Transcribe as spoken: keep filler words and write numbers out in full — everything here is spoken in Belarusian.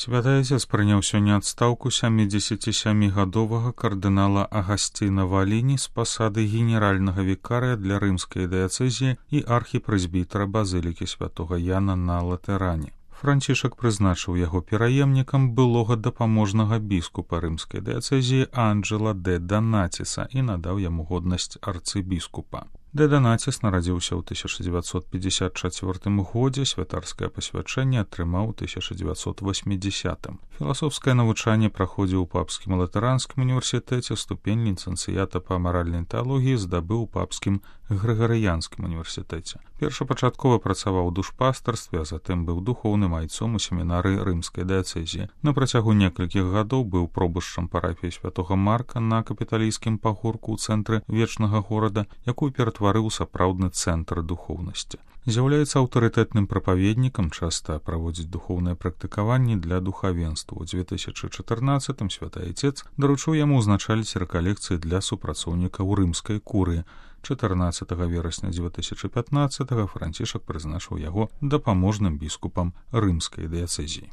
Святы Отец прыняў сёння адстаўку сямідзесяцісямігадовага кардынала Агасціна Валіні з пасады генеральнага вікарыя для рымскай дыяцэзіі і архіпрэзбітара базылікі святога Яна на Латэране. Францішак прызначыў яго пераемнікам былога дапаможнага біскупа рымскай дыяцэзіі Анджэла дэ Данаціса і надаў яму годнасць арцыбіскупа. Дэ Данаціс нарадзіўся ў тысяча дзевяцьсот пятьдесят чацвёртым годзе, святарскае пасвячэнне атрымаў у тысяча дзевяцьсот восьмідзесятым. Філасофскае навучанне праходзіў у папскім латаранскім універсітэце, ступень ліцэнцыята па маральнай тэалогіі здабыў у папскім грыгарыянскім універсітэце. Першапачаткова працаваў у душпастарстве, а затым быў духоўным айцом у семінары рымскай дыяцэзіі. На працягу некалькіх гадоў быў пробышчам парафіі святога Марка на капіталійскім пагорку ў цэнтры вечнага горада, якую ператварыў сапраўдны цэнтр духоўнасці. З'яўляецца аўтарытэтным прапаведнікам, часта праводзіць духоўныя практыкаванні для духавенства. У дзве тысячы чатырнаццатым Святы Отец даручыў яму ўзначаліць рэкалекцыі для супрацоўнікаў рымскай курыі. чатырнаццатага верасня дзве тысячы пятнаццатага Францішак прызначыў яго дапаможным біскупам рымскай дыяцэзіі.